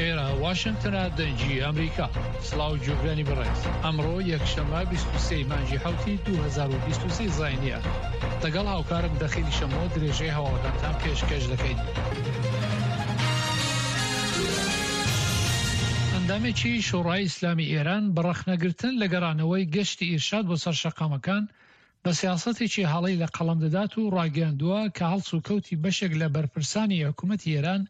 ئێرە واشنگتنە دەنگی ئەمریکا. سڵاو گوێگرانی بەڕێز. ئەمڕۆ یەکشەممە 23 مانگی حەوتی 2023 زاینیە. لەگەڵ هاوکارم دەخیلی شەمۆ درێژەی هەواڵەکانتان پێشکەش دەکەین. ئەندامێکی شۆڕای ئیسلامی ئێران بە ڕەخنەگرتن لە گەڕانەوەی گەشتی ئیرشاد بۆ سەر شەقامەکان بە سیاسەتێکی هەڵەی لە قەڵەم دەدات و ڕاگەیاندووە کە هەڵسوکەوتی بەشێک لە بەرپرسانی حکوومەتی ئێران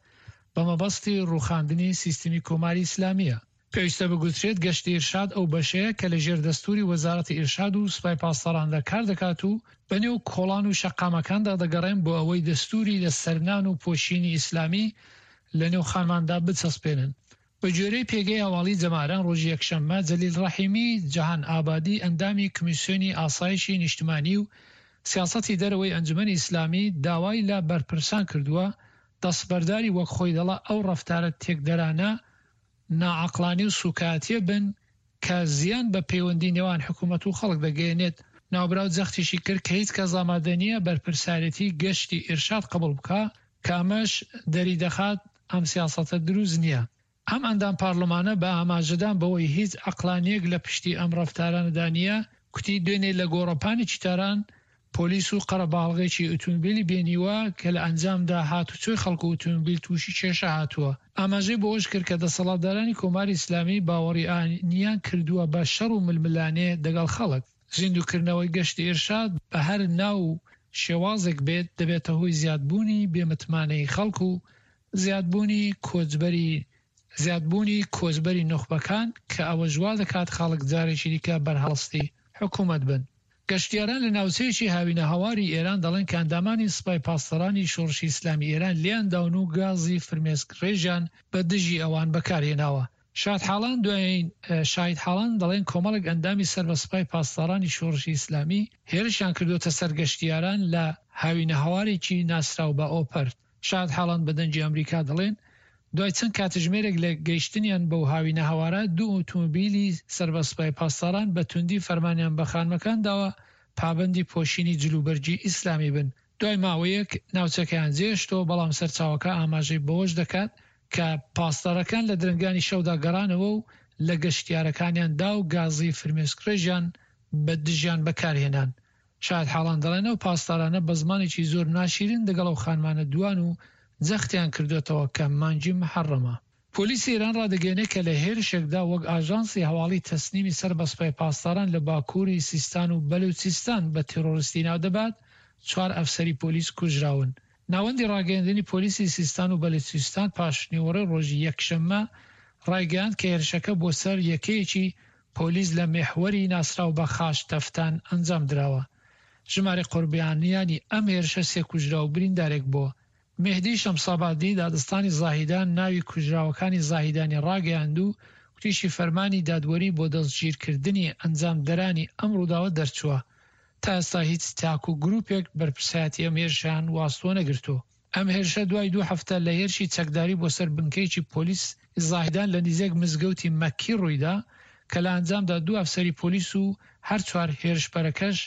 بە مەبەستی ڕووخاندنی سیستمی کۆماری ئیسلامییە. پێویستە بگوترێت گەشتی ئیرشاد ئەو بەشەیە کە لە ژێر دەستووری وەزارەتی ئیرشاد و سوپای پاسداراندا کار دەکات و بە نێو کۆڵان و شەقامەکاندا دەگەڕێن بۆ ئەوەی دەستووری لە سەرنان و پۆشینی ئیسلامی لە نێو خانماندا بچەسپێنن. بە گوێرەی پێگەی هەواڵی جەماران ڕۆژی یەکشەممە جەلیل ڕەحیمی جەهان ئابادی ئەندامی کمیسیۆنی ئاسایشی نیشتمانی و سیاسەتی دەرەوەی ئەنجومەنی ئیسلامی داوای لە بەرپرسان کردووە دەستبەرداری وەک خۆی دەڵا ئەو ڕەفتارە تێکدەرانە ناعەقڵانی و سوکایەتیە بن کە زیان بە پەیوەندی نێوان حکومەت و خەڵک دەگەیەنێت. ناوبراو جەختیشی کرد کە هیچ کەس ئامادە نییە بەرپرسیارێتی گەشتی ئیرشاد قبوڵ بکا کە ئەمەش دەریدەخات ئەم سیاسەتە دروست نییە. ئەم ئەندام پارلمانە بە ئاماژەدان بەوەی هیچ عەقڵانییەک لە پشتی ئەم ڕەفتارانەدا نییە، کوتی دوێنێ لە گۆڕەپانێکی تاران پۆلیس و قەرەباڵغێکی ئوتومبیلی بینیوە کە لە ئەنجامدا هاتوچۆی خەڵک و ئوتومبیل تووشی کێشە هاتووە. ئاماژەی بەوەشکرد کە دەسەڵاتدارانی کۆماری ئیسلامی باوەڕی ئایینیان کردووە بە شەڕ و ململانێ دەگەڵ خەڵک. زیندووکردنەوەی گەشتی ئیرشاد بە هەر ناو و شێوازێک بێت دەبێتە هۆی زیادبوونی بێمتمانەیی خەڵک و زیادبوونی کۆچبەری زیادبوونی کۆچبەری نوخبەکان کە ئەوەش وا دەکات خەڵک جارێکی دیکە بەرهەڵستی حکوومەت بن. گەشتیاران لە ناوچەیەکی هاوینەهەواری ئێران دەڵێن کە ئەندامانی سپای پاسدارانی شۆڕشی ئیسلامی ئێران لێیان داون و گازی فرمێسکڕێژیان بە دژی ئەوان بەکارهێناوە. شادحاڵان دوایین شاهیدحاڵان دەڵێن کۆمەڵێک ئەندامی سەر بە سپای پاسدارانی شۆڕشی ئیسلامی هێرشیان کردووەتە سەر گەشتیاران لە هاوینەهەوارێکی ناسراو بە ئۆپەرت. شاهدحاڵان بە دەنگی ئەمریکا دەڵێن، دوای چەند کاتژمێرێک لە گەیشتنیان بەو هاوینەهەوارە، دوو ئوتومبیلی سەر بە سوپای پاسداران بە توندی فەرمانیان بە خانمەکان داوە پابەندی پۆشینی جلوبەرگی ئیسلامی بن. دوای ماوەیەک ناوچەکەیان جێهێشتەوە، بەڵام سەرچاوەکە ئاماژەی بەوەش دەکات کە پاسدارەکان لە درەنگانی شەودا گەڕانەوە و لە گەشتیارەکانیان دا و گازی فرمێسکڕێژیان بە دژیان بەکارهێنان. شایەتحاڵان دەڵێن ئەو پاسدارانە بە زمانێکی زۆر ناشیرین دەگەڵ ئەو خانمانە دوان و جەختیان کردۆتەوە کە مانگی موحەڕەمە. پۆلیسی ئێران ڕادەگەیەنێت کە لە هێرشێکدا وەک ئاژانسی هەواڵی تەسنیمی سەر بە سوپای پاسداران لە باکووری سیستان و بەلوچستان بە تێرۆریستی ناودەبات، چوار ئەفسەری پۆلیس کوژراون. ناوەندی ڕاگەیەندنی پۆلیسی سیستان و بەلوچستان پاشنیوەڕۆی ڕۆژی یەکشەممە ڕایگەیاند کە هێرشەکە بۆ سەر یەکەیەکی پۆلیس لە میحوەری ناسراو بە خاش تەفتان ئەنجام دراوە. ژمارەی قوربانیانی ئەم هێرشە سێ کوژراو و بریندارێک بووە. مێهدی شەمسابادی دادستانی زاهیدان ناوی کوژراوەکانی زاهیدانی ڕاگەیاند و گوتیشی فەرمانی دادوەری بۆ دەستگیرکردنی ئەنجامدەرانی ئەم ڕووداوە دەرچووە. تا ئێستا هیچ تاک و گروپێک بەرپرسایەتی ئەم هێرشەیان واستوە نەگرتووە. ئەم هێرشە دوای دوو هەفتە لە هێرشی چەکداری بۆ سەر بنکەیەکی پۆلیس زاهیدان لە نیزێک مزگەوتی مەککی ڕوویدا کە لە ئەنجامدا دوو ئەفسەری پۆلیس و هەر چوار هێرشبەرەکەش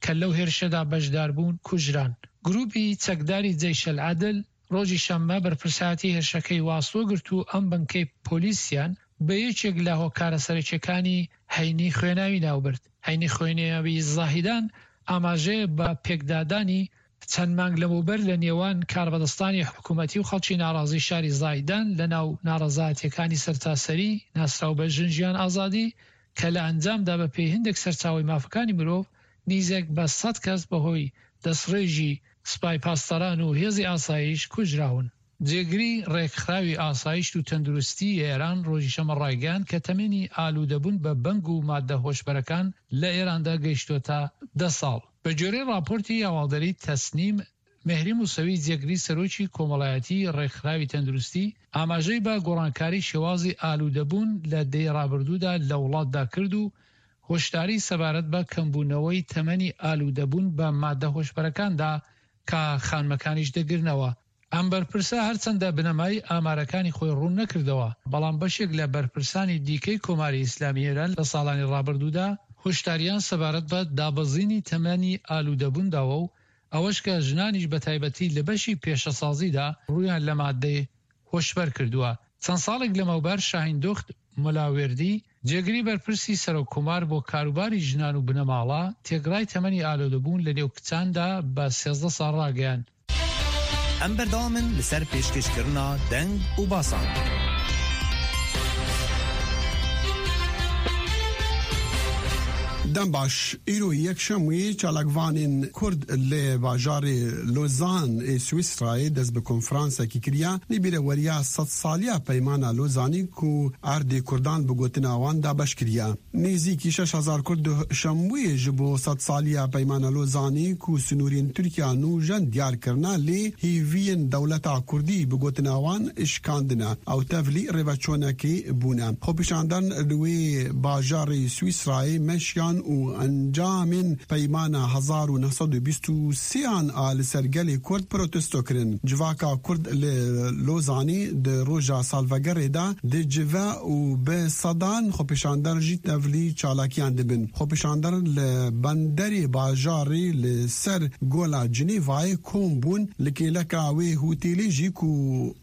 کە لەو هێرشەدا بەشداربوون کوژران. گروپی چەکداری جەیشەلعەدل ڕۆژی شەممە بەرپرسایەتی هێرشەکەی واستوە گرت و ئەم بنکەی پۆلیسیان بە یەکێک لە هۆکارە سەرەکیەکانی هەینی خوێناوی ناوبرد. هەینی خوێناوی زاهیدان ئاماژەیە بە پێکدادانی چەند مانگ لەمەوبەر لە نێوان کاربەدەستانی حکومەتی و خەڵکی ناڕازی شاری زاهیدان لە ناو ناڕەزایەتیەکانی سەرتاسەری ناسراو بە ژن ژیان ئازادی کە لە ئەنجامدا بە پێی هەندێک سەرچاوەی مافەکانی مرۆڤ نیزێک بە سەد کەس بەهۆی دەستڕێژی سپای پاسداران و هێزی ئاسایش کوژراون. جێگری ڕێکخراوی ئاسایشت و تەندروستیی ئێران ڕۆژی شەممە ڕایگەیاند کە تەمەنی ئالوودەبوون بە بەنگ و ماددە هۆشبەرەکان لە ئێراندا گەیشتۆتە دە ساڵ. بە گوێرەی ڕاپۆرتی هەواڵدەریی تەسنیم، مێهری موسەوی جێگری سەرۆکی کۆمەڵایەتیی ڕێکخراوی تەندروستی ئاماژەی بە گۆڕانکاری شێوازی ئالوودەبوون لە دەیە ڕابردوودا لە وڵاتدا کرد و هۆشداری سەبارەت بە کەمبوونەوەی تەمەنی ئالوودەبوون بە ماددە هۆشبەرەکان دا کە خانمەکانیش دەگرنەوە. ئەم بەرپرسە هەرچەندە بنەمای ئامارەکانی خۆی ڕوون نەکردەوە، بەڵام بەشێک لە بەرپرسانی دیکەی کۆماری ئیسلامی ئێران لە ساڵانی ڕابردوودا هۆشداریان سەبارەت بە دابەزینی تەمەنی ئالوودەبوون داوە و ئەوەش کە ژنانیش بەتایبەتی لە بەشی پێشەسازیدا ڕوویان لە ماددەی هۆشبەر کردووە. چەند ساڵێک لەمەوبەر شاهیندوخت ملاوێردی، جێگری بەرپرسی سەرۆک کۆمار بۆ کاروباری ژنان و بنەماڵە، تێکڕای تەمەنی ئالۆدەبوون لەنێو کچاندا بە 13 ساڵ ڕاگەیاند. ئەم بەردەوامن لەسەر پێشکەشکردنا دەنگ و باسان. دەم باش ئیرۆ یەکشەموی چالاکڤانên Kurd li bajarê Lozan ê Swîsrayê dest bi konferansekî kiriye li bîreweriya sedsaliya peymana Lozanî ku erdê Kurdan bi gotina wan dabeş kiriye. Nêzîkî 6000 Kurd duh şemwê ji bo sedsaliya peymana Lozanî ku sinûrên Tirkiya nûjen diyar kirine lê hêviyên dewleta Kurdî bi gotina wan şikandine ew tevlî rêveçûnekê bûne. Xwepêşandan li wê bajarê Swîsrayê meşiyan û encamên peymana 1923 an a li ser gelê Kurd protesto kirin. Civaka Kurd li Lozanê di roja salvegerê de dicive û bi sedan xwepêşander jî tevlî çalakiyan dibin. Xwepêşander li benderê bajarê li ser Gola Cinêvayê kom bûn li kêleka wê hotêlê jî ku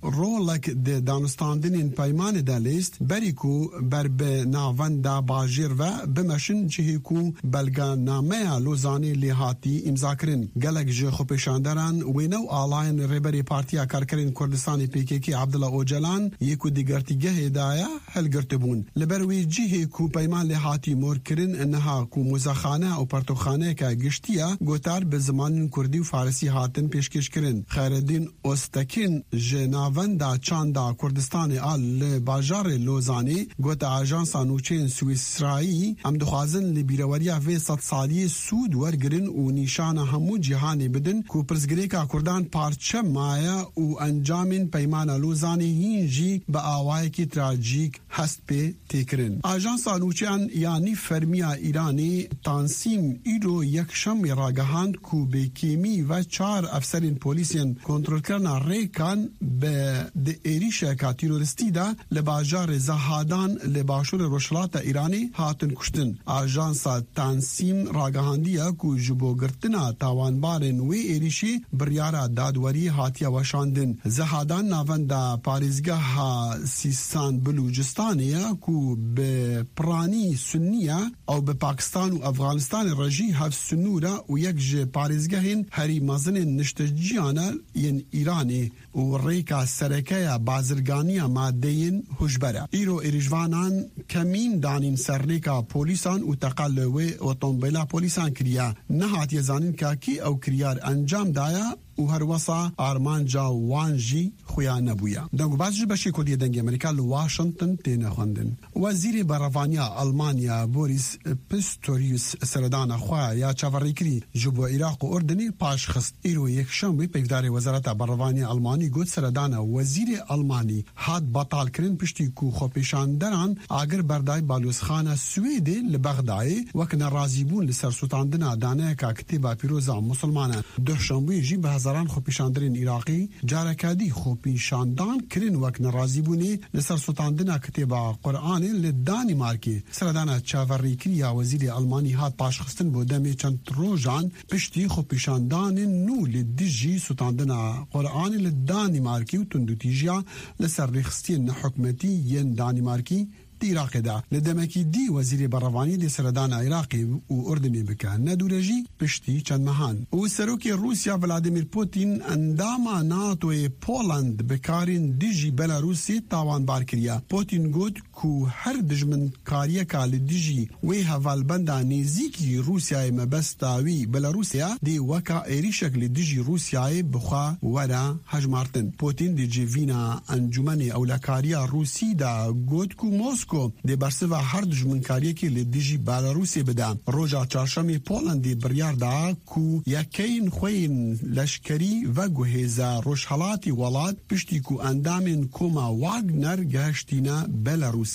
rolek di danûstandinên peymanê de lîst berî ku ber bi navenda bajêr ve bimeşin cihê ku belgenameya Lozanê lê hatî îmzakirin. Gelek ji xwepêşanderan wêne û alayên Rêberê Partiya Karkerên Kurdistanê PKK Abdullah Ocalan yê ku di girtîgehê de ye hilgirtibûn. Li ber wê cihê ku peyman lê hatî morkirin niha ku muzexane û pertûxaneyeke giştî ye gotar bi zimanên Kurdî û Farisî hatin pêşkêşkirin. Xeyreddîn Oztekin ji Navenda Çanda Kurdistanê a li bajarê Lozanê gote Ajansa Nûçeyên Swîsrayî em dixwazin li bîreweriya vê sedsaliyê sûd wergirin û nîşana hemû cîhanê bidin ku pirsgirêka Kurdan parçe maye û encamên peymana Lozanê hîn jî bi awayekî trajîk hest pê tê kirin. Ajansa Nûçeyan ya nîvfermiya Îranê Tansîm îro yekşemê ragihand ku bi kêmî ve çar efserên polîsên kontrolkirina rêkan bi di êrîşeka terorîstî de li bajarê Zahadan li başûrê Rojhilata Îranê hatin kuştin. Ajansa Tansîm ragihandiye ku ji bo girtina tawanbarên wê êrîşê biryara dadweriyê hatiye weşandin. Zahadan navenda parêzgeha Sîstan Bilûcistanê ye ku bi piranî Sunnî ye, ew bi Pakistan û Efxanistanê re jî hevsinûr e û yek ji parêzgehên herî mezin ên nişteciyan e yên Îranê û rêka sereke ya bazirganiya madeyên huşber e. Îro êrîşvanan kemîn danîn ser rêka polîsan û teqa li wê otombêla polîsan kiriye. Nehatiye zanîn ka kî ew kiryar encam daye û herwesa armanca wan jî xuya nebûye. Dengûbaz ji beşê Kurdî yê Dengê Amerîka li Washington têne xwendin. Wezîrê Berevaniya Almanya Boris Pistorius seredana xwe ya çaverêkirî ji bo Iraq û Urdunê paş xist. Îro yekşembê peyvdarê Wezareta Berevaniya Almanî got seredana wezîrê Almanî hat betalkirin piştî ku xwepêşanderan agir berday balyozxana Swêdê li Bexdayê wek nerazîbûn li ser sotandina daneyeka kitêba pîroz a misilmanan. Duh şembûyê jî bi hezaran xwepêşanderên Iraqî careke dî xwepêşandan kirin wek nerazîbûnê li ser sotandina kitêba Quranê li Danîmarkê. Seredana çaverêkirî ya wezîrê Almanî hat paşxistin bo demê çend rojan piştî xwepêşandanên nû li dijî sotandina Quranê li Danîmarkê û tundûtîjiya li ser rêxistiyên nehikûmetî yên Danîmarkî di Iraqê de. Li demekî dî Wezîrê Berevanî dê seredana Iraqê û Urdunê bike, ne dûre jî piştî çend mehan. Û Serokê Rûsya Vladimir Putin endama NATOyê Poland bi karên dijî Belarûsê tawanbar kiriye. Putin got ku her dijminkariyeka li dijî wê hevalbenda nêzîkî Rûsyayê mebesta wî Belarûsê ye, dê weka êrîşek li dijî Rûsyayê bi xwe were hejmartin. Putin di civîna Encûmenê Ewlekariya Rûsî de got ku Mosko dê bersiva her dijminkariyekê li dijî Belarûsê bide. Roja çarşemê Polandê biryar da ku yekeyên xwe yên leşkerî veguhêze rojhilatê welat piştî ku endamên koma Wagner gehiştîne Belarûsê.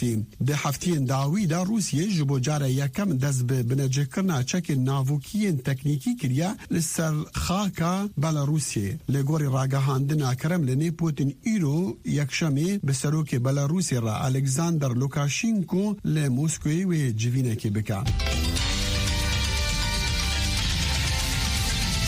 Di hefteyên dawî de Rûsyê ji bo cara yekem dest bi binecihkirina çekên navokî yên teknîkî kiriye li ser xaka Belarûsê. Li gorî ragihandina Kremlinê Putin îro yekşemê bi serokê Belarûsê re Alexander Lukashenko li Moskoyê wê civînekê bike.